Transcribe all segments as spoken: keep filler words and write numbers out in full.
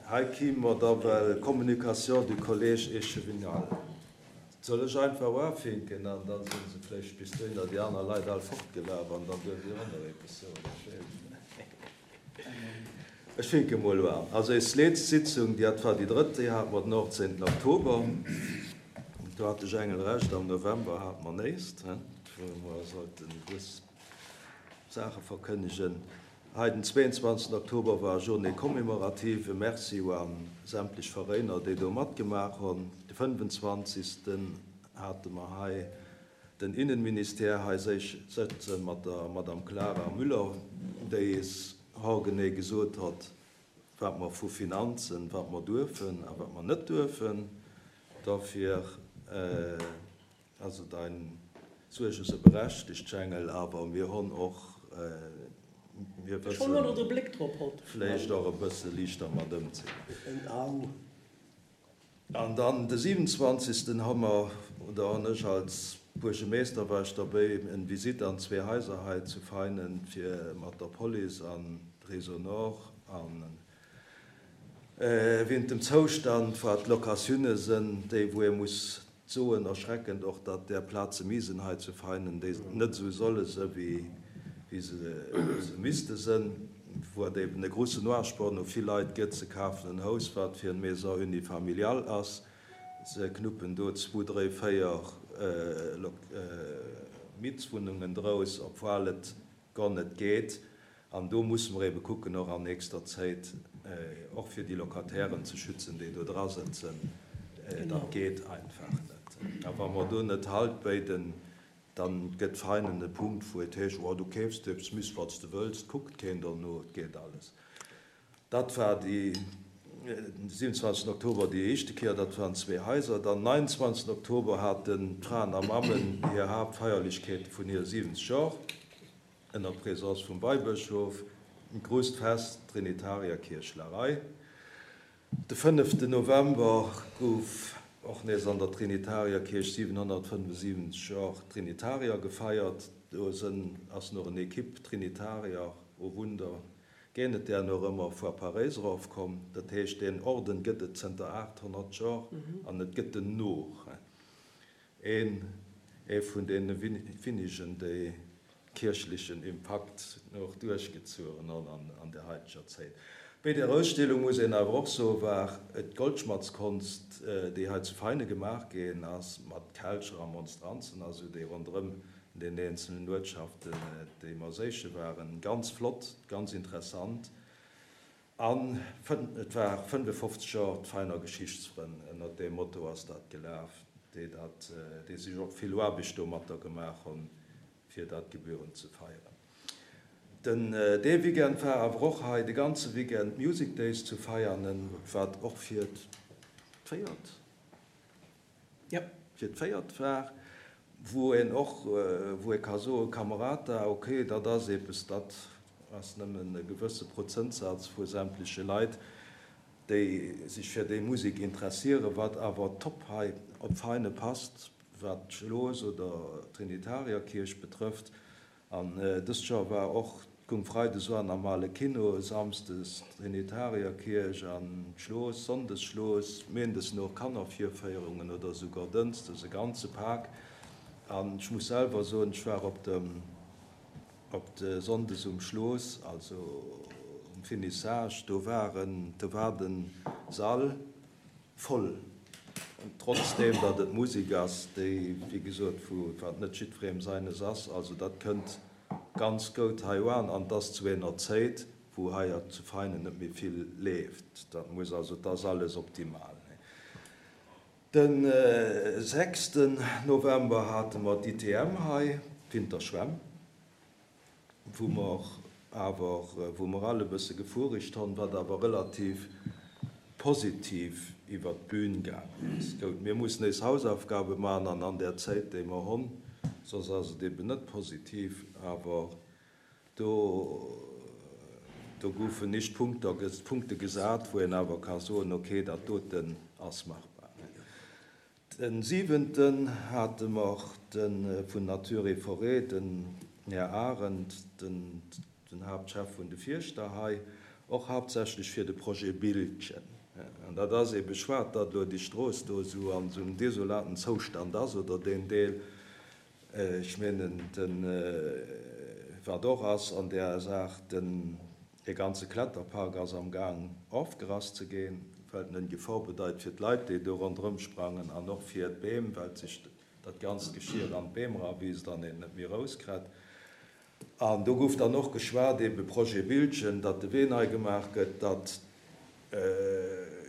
Hei kime mer da well Communication du collège échevinal. Soll ech einfach uafinken an da si se vläicht bis dohinner déi aner Leit all fortgelaf an dann duerft Dir och nach eppes soen. Ech weess et net. Ech finke mol uan. Also eis leetzt Sitzung, déi hat war déi drëtt, déi hate mer den achtzéngten Oktober. Do hat de Jengel Recht, am November hate mer néist, wou mer sollten dës Saache verkënnegen. Hei den zweeënzwanzegsten Oktober war Journée commémorative. E Merci u an sämtlech Veréiner, déi do matgemaach hunn. De fënnefenzwanzegsten hate mer hei den Innenministère hei sëtze mat der Madame Clara Müller, déi eis haargenee gesot hott, wat mer vu Finanzen, wat mer duerfen a wat mer net duerfen. Dofir also dein Suerge se berechtegt, Jengel, awer mir honn och, mir wëssen vléicht och e bësse liichter mat ëmzegoen. An dann de siwenundzwanzigsten hu mer, oder hunn ech als Buergemeester, war ech derbéi, en Visite an zwee Haiser hei zu Veinen, fir mat der Police an Réseau Nord an wéint dem Zoustand, wat d'Locatioune sënn, déi wou ee muss soen, erschreckend och, datt där Plaze Misen hei zu Veinen, déi net esou solle së wéi se misste sënn, wou et eben e grusse Noirsport no vill Leit gëtt, se kafen en Haus, wat fir en Maison unifamiliale ass, se knuppen do zwou, dréi, véier Mietswunnungen drous, obwuel et gor net geet. An do musse mer ebe kucken, och an nächster Zéit, och fir déi Locatairen ze schützen, déi do dra sëtzen. Dat geet einfach net. A wa mer do net Halt béiden, da gëtt Veinen e Punkt, wou et heescht, Oh, du keefs dir eppes, miss wat s de wëlls, 't kuckt keen derno, et geet alles. Dat war déi, den siewenundzwanzigsten Oktober déi éischte Kéier, dat waren zwee Haiser. Dann neunundzwanzigsten Oktober haten d'Fraen a Mammen hir Haaptfeierlechkeete vun hire siwwenzeg Jor. Ënner Présence vum Weibëschof, grousst Fest, Trinitarierkierch Larei. De fënneften November gouf och nees an der Trinitarierkierch siwenhonnertfënnefensiwwenzeg Jor Trinitarier gefeiert. Do sënn ass noch en Equipe Trinitarier, oh Wunder, géint et där nach ëmmer, vu Paréis erofkomm. Dat heescht, deen Orden gëtt et zënter aathonnert Jor an et gëtt en noch. Een ee vun deene winigen, déi kierchlechen Impakt och duerchgezueren honn an der haiteger Zéit. Béi der Ausstellung, muss een awer och soen, war et d'Goldschmatzkonst, déi hei zu Veine gemaach ginn ass, mat Kelcher a Monstranzen a sou, déi ronderëm den eenzelen Uertschaften, déi mer séiche waren. Ganz flott, ganz interessant. An et war fënnefofzeg Joer d'Veiner Geschichtsfrënn, ënnert deem Motto ass dat gelaf, déi dat, déi sech och vill Aarbecht domatter gemaach hunn, fir dat gebührend ze feieren. Den dee Weekend war awer och hei de ganze Weekend Music Days zu Veianen, wat och fir d'véiert, fir d'véiert war, wou een och, wou ee ka soen, Camerata, okay, dat ass eppes, dat ass nëmmen e gewësse Prozentsaz vu sämtleche Leit, déi sech fir déi Musek interessieren, wat awer top hei op Veine passt, wat d'Schlooss oder d'Trinitarierkierch betrëfft. An dëst Joer war och, goung freides an am Ale Kino, samsdes d'Trinitarierkierch an d'Schlooss, sonndes Schlooss, méindes no Kannervirféierungen oder esouguer dënschdes e ganze Pak. An ech muss selwer soen, ech war op dem, op de sonndes um Schlooss, also um Finissage, do waren, do war de Sall voll, trotzdeem datt et Musek ass, déi, wéi gesot, vu wat net jiddwerem seines ass. Also dat kënnt ganz goud hei uan an 't ass zu ener Zéit, wou hei zu Veinen net méi vill leeft. Dat muss also, 't ass alles optimal. De sechsten November hate mer d'I T M hei, d'Winterschwämm, wou mer awer, wou mer all e bësse gefuregt honn, wat awer relativ positiv iwwer d'Bühn gaangen ass. Goud, mir mussen éis Hausaufgabe maachen an an där Zäit, déi mer honn, soss ass et eben net positiv, awer do, do goufen nicht Punkter, Punkte gesat, wou een awer ka soen, okay, dat doten ass machbar. Den siwenten hate mer de vun Nature et Forêt, den Här Arendt, den den Haaptchef vun de Fierschter hei, och haaptsächlech fir de Projet Bildchen. An dat ass ebe schwat, datt elo déi Strooss do esou an esou engem desolaten Zoustand ass, oder deen Deel. Ech mengen, den, wat och ass an där Saach, den, dee ganze Kletterpark ass am Gaang ofgerass ze ginn, well en eng Gefor bedeit fir d'Leit, déi do ronderëm sprangen, an och fir d'Beem, well sech dat ganzt Geschir an d'Beem erawiisst an een net méi erauskritt. An do gouf dann och geschwat, ebe Projet Bildchen, datt de Wee nei gemaach gëtt, datt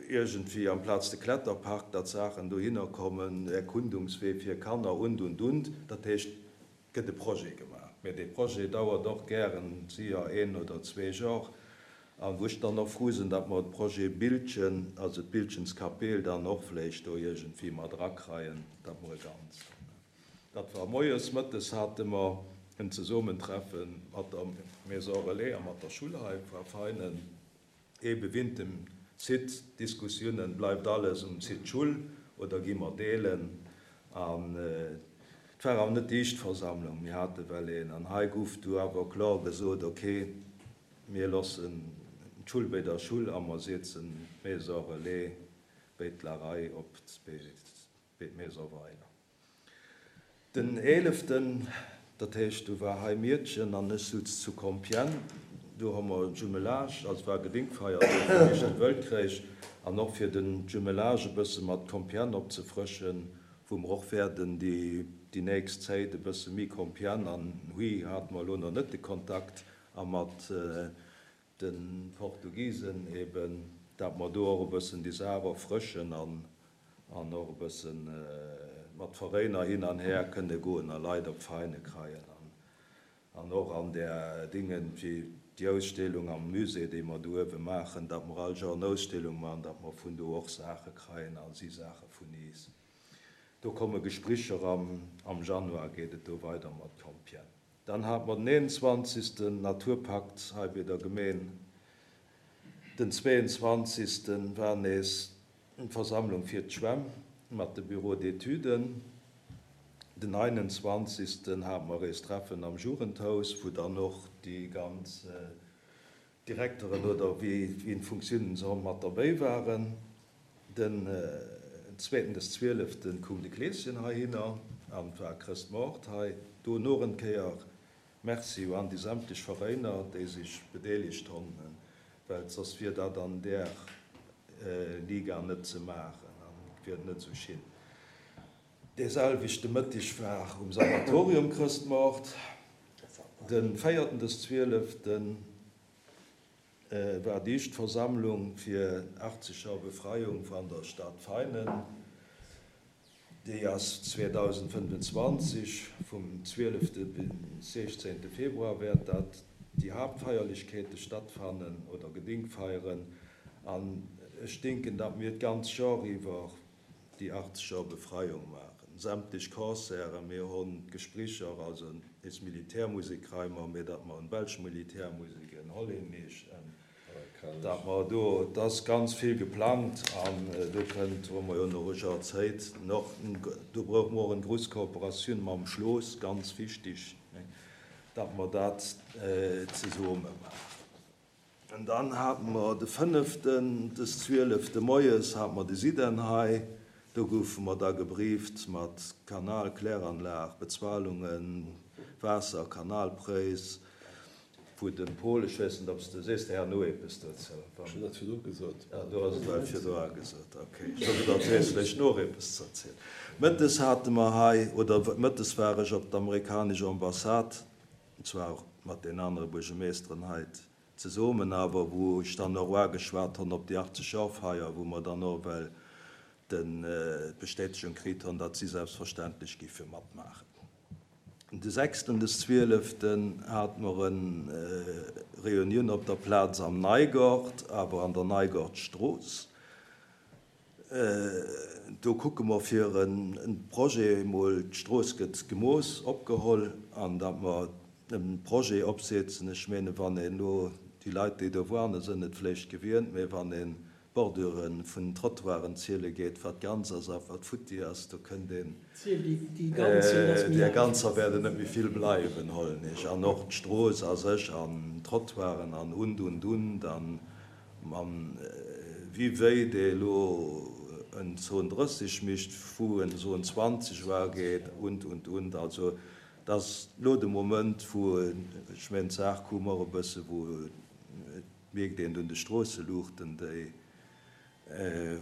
iergendwéi amplaz de Kletterpark, datt Saachen dohinner kommen, Erkundungswee fir Kanner und, und, und. Dat heescht, et gëtt e Projet gemaach. Mä dee Projet dauert och gären séier een oder zwee Jor. A wou ech dann och frou sinn, datt mer de Projet Bildchen, also d'Bildchenskapell dann och vläicht do iergendwéi mat erakreien, datt mer e Ganzt hunn. Dat war moies. Mëttes hate mer en Zesummentreffe mat der Maison Relais a mat der Schull hei, war feinen, ebe wint dem Site, Diskussiounen, bleift alles um Site Schull oder gi mer deelen? An et war awer net déi éischt Versammlung, mir hate well een, an hei gouf du awer kloer gesot, ok, mir loossen d'Schull béi der Schull a mer setzen d'Maison Relais béi d'Larei op béi d'Maison Weiler. Den eeleften, dat heescht, du war hei Miedchen an ech sutz zu Compiègne, do hu mer Jumelage, also war Gedenkfeier do vum Éischte Wëltkréich an och fir den Jumelage e bësse mat Compiègne opzefrëschen, wou mer och wäerten déi déi nächst Zäit e bësse méi Compiègne an Huy hate mer elo nach net de Kontakt a mat de Portugisen eben, dat mer do och e bëssen déi Saach erfrëschen an an och e bëssen mat Veräiner hin an her kënne goen a Leit op d'Veräine kreien an an och an där Dingen, wéi déi Ausstellung am Musée, déi mer do uewe maachen, datt mer all Joer en Ausstellung maachen, datt mer vun do och Saache kreien a si Saache vun iis. Do komme Gespricher am am Januar geet et do weider mat Compiègne. Dann hate mer den eenundzwanzigsten Naturpakt hei bei der Gemeen. Den zweeënzwanzigsten war nees d'Versammlung fir d'Schwämm mat de Bureaux d'étuden. Den einundzwanzigsten hate mer eist Treffen am Jugendhaus, wou dann och déi ganz Direkteren oder wéi d'Funktiounen se honn mat derbéi waren. Den zweeten des zwieleften koum de Kleeschen heihinner an war Chrëstmoart hei. Do noch en Kéier Merci un déi sämtlech Veräiner, déi sech bedeelegt honn, well soss wier dat an där Liga net ze maachen an wier et net esou schin. Dee selwechte Mëtteg war um Sanatorium Chrëstmoart. De véierten des zwieleften war déi éischt Versammlung fir achtzeg Joer Befreiung van der Stad Veinen. Déi ass zweedausendfënnefenzwanzeg, vum zwielefte bis sechzehnte Februar wäert dat déi Haaptfeierlechkeete stattfannen oder Gedinkfeieren. An ech denken, datt mir d'ganz Joer iwwer déi achtzeg Joer Befreiung maachen. Sämtlech Concerten, mir hunn d'Gesprécher, also nees Militärmusek kréie mer, mee datt mer en belsch Militärmusek, en hollännesch, en, datt mer do, et ass ganz vill geplangt an do kënnt, hu mer jo nach e Joer Zäit, nach, do brauche mer och eng grouss Kooperatioun mam Schloss, ganz wichtig, datt mer dat zesumme maachen. An dann hate mer de fënneften des zwielefte moies hate mer de Siden hei. Do goufe mer da gebrieft mat Kanal, Kläranlag, Bezualungen, Waasser, Kanalpréis, wou de Paul, ech weess net, ob s de, sees de herno eppes dozou? Ech hunn dat virdru gesot. Ah, du has et well virdru gesot, okay. Ech hu gedacht, du häss vläicht nach eppes ze erzielen. Mëttes hate mer hei, oder mëttes war ech op d'amerikanesch Ambassade, zwar och mat den anere Buergermeeschteren hei zesummen, awer wou ech dann och uageschwat hunn op déi achtzeg-Joer-Feier, wou mer dann och well den d'Bestätegung kritt hunn, datt si selbstverständlech giffe matmaachen. De sechsten des zwieleften hate mer en Reunioun op der Plaz am Neigort, awer an der Neigortstrooss. Do kucke mer fir en Projet emol, d'Strooss gëtt gemooss, opgeholl, an datt mer e Projet opsetzen. Ech mene wann een elo, déi Leit déi do waren, sënn et vläicht gewient, mä wann ee D'Bordure vun den Trottoiren ziele geet, wat ganz ass a wat futti ass, do kënnt een, där ganzer wäerten net méi vill bleiwen, hollen ech. An och d'Strooss a sech an d'Trottoiren an und, und, und. An wie wéi dee elo en Zone drësseg mécht, wou en Zone zwanzeg war geet und, und, und. Also et ass elo de Moment, wou, ech mengen, d'Saach koum och e bësse, wou et mierkt een un de Stroosseluuchten, déi,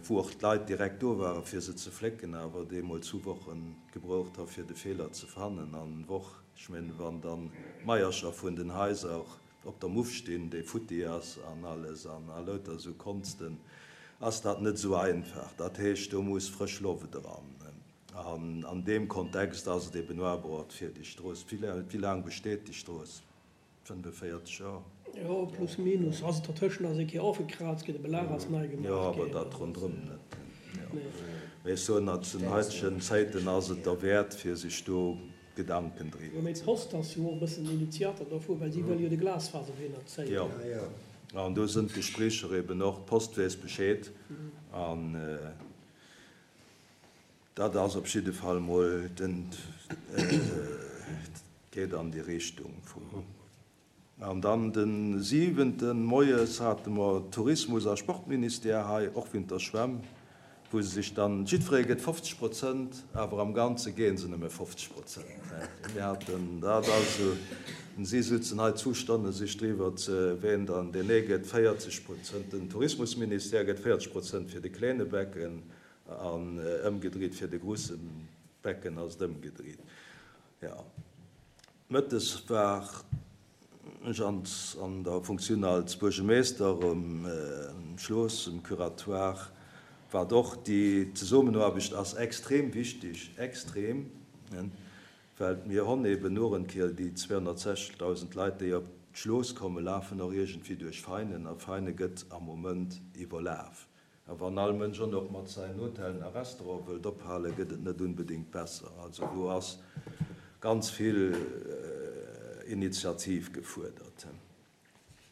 wou och d'Leit direkt do waren, fir se ze flécken, awer deemools hu Wochen gebraucht ha fir de Feeler ze fannen. An Woch, ech mengen, wann dann d'Maiercher vun den Haiser och op der Muff stinn, déi futti ass an alles an a lauter esou Konsten, ass dat net esou einfach. Dat heescht, do muss frësch Loft eran. An an deem Kontext ass et eben uabrocht fir déi Strooss. Wéi laang besteet déi Strooss? fënnefenvéierzeg Joer. Jo, plus minus. Also dertëschent ass eng Kéier ofgekraazt ginn, de Belag ass nei Jo, gemaach awer ginn. dat Also ronderëm net. Jo. nee. Mee ech soen, zu den heitegen Zäiten ass et derwäert, fir sech do Gedanken Jo, driwwer mee ze d'Post ass jo och e bëssen Initiator dovu, well si wëll jo de Glasfaserwee nach zéien. Jo. An do sënn d'Gespréicher eben och. D'Post weess Bescheed. An dat ass op jidde Fall mol den, et geet an déi Richtung vum. An dann de siwenten moies hate mer Tourismus a Sportministère hei, och wéint der Schwämm, wou se sech dann, jiddweree gëtt fofzeg Prozent, awer am Ganze géen se nëmme fofzeg Prozent. Mir haten dat also, si sutzen hei zwou Stonne sech driwwer ze, ween dann, deen ee gëtt véierzeg Prozent, den Tourismusministère gëtt véierzeg Prozent fir de kleene Becken an ëmgedriet fir de grusse Becken ass et ëmgedriet. Jo. Mëttes war ech an der Funktioun als Buergermeester um Schloss, um Curatoire, wat och déi Zesummenaarbecht ass extrem wichtig, extrem, well mir honn eben nur en Kéier déi zweehonnertsechzegtausend Leit, déi op d'Schloss kommen, lafen och iergendwéi duerch Veinen, a Veine gëtt am Moment iwwerlaf. A wann all Mënsch och nach mat säin Hotellen a Restaurante wëllt ophalen, gëtt et net unbedéngt besser. Also do ass ganz vill Initiativ gefuerdert.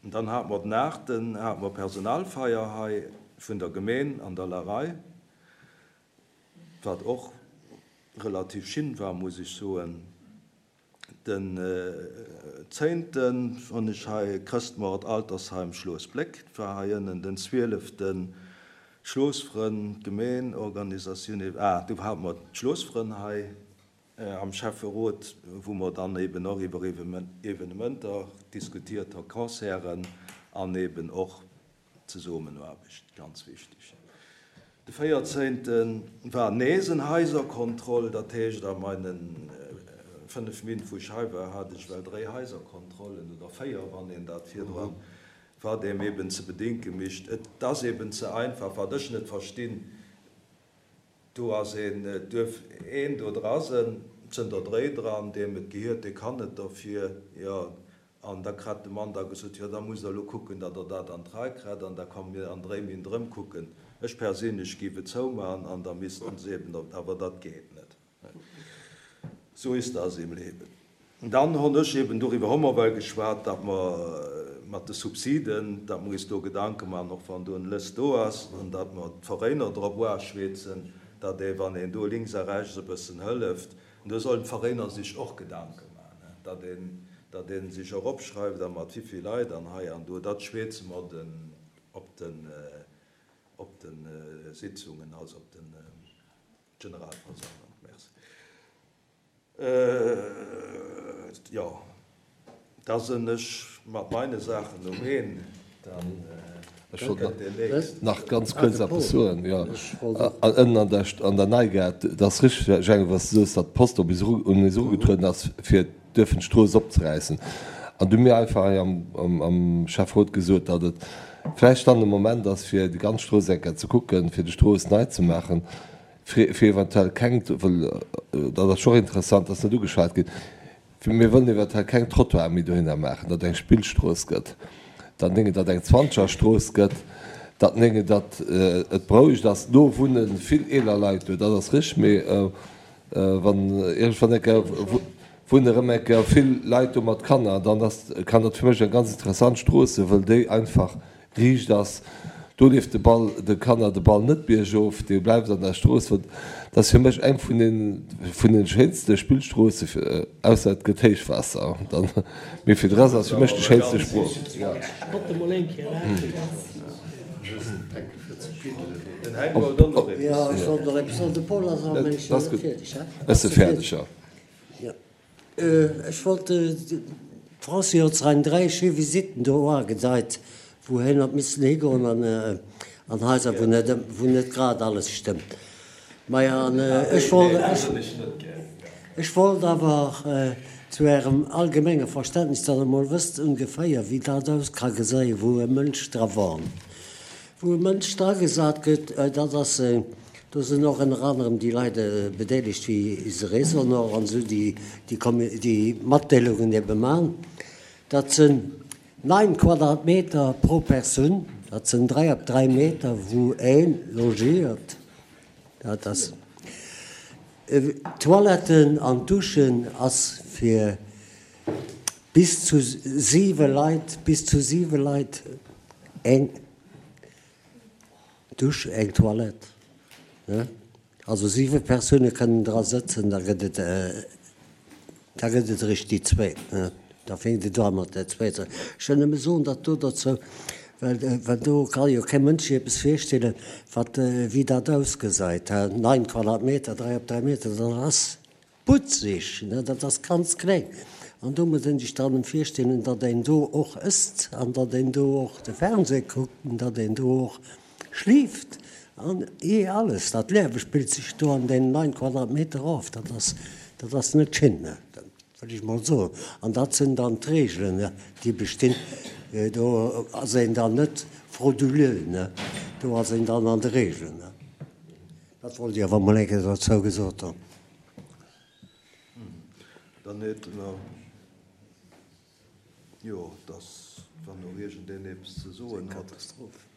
Dann hate mer den aachten hate mer Personalfeier hei vun der Gemeen an der Larei, wat och relativ schin war, muss ech soen. Den zénten hunn ech hei Chrëstmoart Altersheim Schloos Bléck, war hei ënnen. Den zwieleften Schloosfrënn, Gemeenorganisatioun, ah, do hate mer d'Schloosfrënn hei am Schäfferot, wou mer dann eben och iwwer Evenementer diskutiert hu, Concerten an eben och Zesummenaarbecht, ganz wichteg. De véierzénte war nees en Haiserkontroll, dat heescht a meine fënnef Min, wou ech hei war, hat ech well dréi Haiserkontrollen oder véier, wann een dat virdran, wat eem eben ze bedinke mischt. Et ass eben ze einfach, wat ech net verstinn, do ass een, et duerf een do dra sënn, zënter dréi dran, deem et gehiert, dee kann net derfir, jo, an da krat de Mann da gesot, jo, da musst Der elo kucken, datt Der dat an d'Rei krat, an da komme mir an dréi Min erëm kucken. Ech perséinlech géif et zoumachen an da missten se eben, awer dat geet net. So ist das im Leben. Dann hunn ech eben, doriwwer hu mer well geschwat, datt mer mat de Subsiden, datt mer is do Gedanke maachen, och wann do en Lëst do ass, an datt mer d'Veräiner drop uaschweezen, datt ee, wann een do links a rechts e bëssen hëlleft, an do sollen d'Veräiner sech och Gedanke maachen, datt een, datt ee sech och opschreift a mat wivill Leit an hei an do, dat schweeze mer den op den, op de Sitzungen, also op de Generalversammlung. Merci. Jo, da sinn ech mat meine Saachen um Een. Dann Ech wollt kënnt deen nächsten. nach ganz kuerz eppes soen. Jo, ënnen an der, an der Neigare, dat ass richteg, Jhang, was du soos, datt d'Post op eis eru, un eis erugetrueden ass, fir duerfen d'Strooss opzeräissen. An du hu mir einfach hei am, am, am Schäfferot gesot, datt et vläicht dann de Moment ass, fir déi ganz Strooss eng Kéier ze kucken, fir déi Strooss nei ze maachen, fir, fir eventuell keng, well dat ass scho interessant, dass net ugeschwat ginn, fir mir wëllen eventuell keng Trottoire méi dohinner maachen, datt eng Spillstrooss gëtt, datt nénge datt eng Zwanzegerstrooss gëtt, datt nénge datt et berouegt ass. Do wunne vill eeler Leit do, dat ass richteg, mee wann iergendwann eng Kéier wunne erëm eng Kéier vill Leit do mat Kanner, dann ass, kann dat fir mech eng ganz interessant Strooss sinn, wëll déi einfach riicht ass. Do leeft de Ball de Kanner de Ball net biergof, dee bleift an der Strooss. Dat ass fir mech eng vun den vun den schéinste Spillstroosse, ausser et gëtt Héichwaasser dann, mee fir de Rest ass fir mech déi schéinste Sprooss. Ech si fäerdeg, jo. Ech wollt, d'Francy huet sech dräi schéi Visitten do agedeit, wou hien huet missen higoen an an Haiser, wou net wou net grad alles stëmmt. Maja, an ech wollt ech wollt awer zu Ärem allgemenge Verständnis, datt Der emol wësst ongeféier, wéi dat aus ka geséien, wou e Mënsch dra wohnt. Wou e Mënsch dragesat gëtt, dat ass, do sinn och ënner anerem déi Leit bedeelegt wéi ise Résonneur an esou, déi déi Matdeelungen ebe man. Dat sinn Neun Quadratmeter pro Persoun, dat sinn dräi op dräi Meter, wou ee logiert. Dat ass. D'Toiletten an d'Duschen ass fir bis zu siwe Leit, bis zu siwe Leit eng Dusch, eng Toilette. Also siwe Persoune kënnen dra sëtzen, da gëtt et, da gëtt et eréischt déi zweet. Da fänkt et u mat där zweeter. Ech wëll nëmme soen, datt do dozou, well, well do ka jo kee Mënsch sech eppes virstellen, wat, wéi dat ausgesäit, neun Quadratmeter, dräi op dräi Meter, dat ass butzeg, dat ass ganz kleng. An do muss een sech dann virstellen, datt een do och ësst an datt een do och de Fernseh kuckt an datt een do och schlieft an eh alles. Dat Liewe spillt sech do an deenen neun Quadratmeter of. Dat ass, dat ass net schéin, dat wëll ech mol soen. An dat sinn dann d'Reegelen, déi bestinn. Do ass een dann net frauduleux, do ass een dann an de Reegelen. Dat wollt ech awer mol eng Kéier dozou gesot hunn. Dann hätte mer, jo, dass, wann och iergendeen eppes ze soen huet.